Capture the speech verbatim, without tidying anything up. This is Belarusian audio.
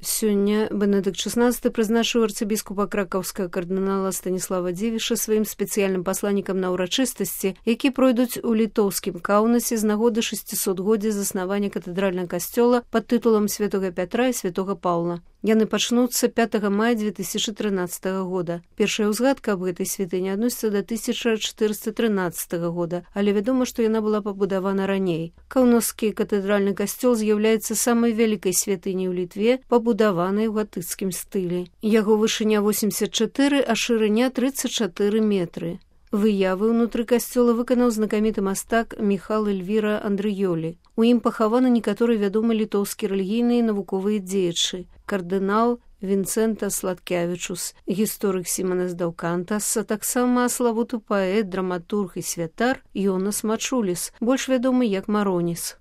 Сёння Бенедыкт шестнадцаты прызначыў арцыбіскупа кракаўскага кардынала Станіслава Дзівіша сваім спецыяльным пасланнікам на ўрачыстасці, які пройдуць у літоўскім Каўнасе з нагоды шасцісотгоддзя заснавання катэдральнага касцёла пад тытулам святога Пятра і святога Паўла. Яны пачнуцца пятага мая две тысячи трынаццатага года. Першая ўзгадка аб гэтай святыні адносіцца да тысяча чатырыста трынаццатага года, але вядома, што яна была пабудавана раней. Каўнаскі катэдральны касцёл з'яўляецца самай вялікай святыняй у Літве, пабудаванай у гатыцкім стылі. Яго вышыня восемьдесят четыре, а шырыня тридцать четыре метры. Выявы ўнутры касцёла выканаў знакаміты мастак Міхал Эльвіра Андрыёлі. У ім пахаваны некаторыя вядомыя літоўскія рэлігійныя і навуковыя дзеячы. Кардынал Вінцэнта Сладкявічус, гісторык Сіманас Даўкантас, а таксама славуты паэт, драматург і святар Йонас Мачуліс, больш вядомы як Мароніс.